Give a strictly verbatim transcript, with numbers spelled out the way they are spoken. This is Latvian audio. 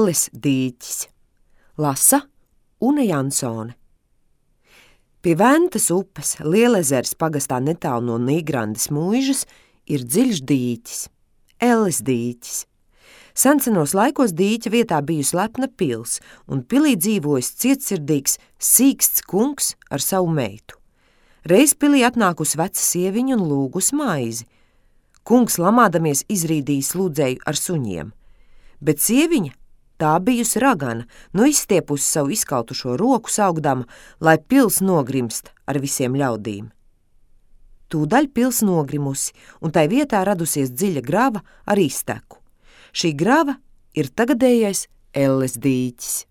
Elles dīķis. Lasa Une Jansone. Pie Ventas upes Lielezers pagastā netālu no Nīgrandes mūižas ir dziļš dīķis, Elles dīķis. Sensenos laikos dīķa vietā bijusi lepna pils, un pilī dzīvojis cietsirdīgs, sīksts kungs ar savu meitu. Reiz pilī atnākusi veca sieviņa un lūgus maizi. Kungs lamādamies izrīdījis lūdzēju ar suņiem, bet sieviņa tā bijusi ragana, nu izstiepusi savu izkautušo roku saugdama, lai pils nogrimst ar visiem ļaudīm. Tūdaļ pils nogrimusi, un tai vietā radusies dziļa grava ar izteku. Šī grava ir tagadējais Elles dīķis.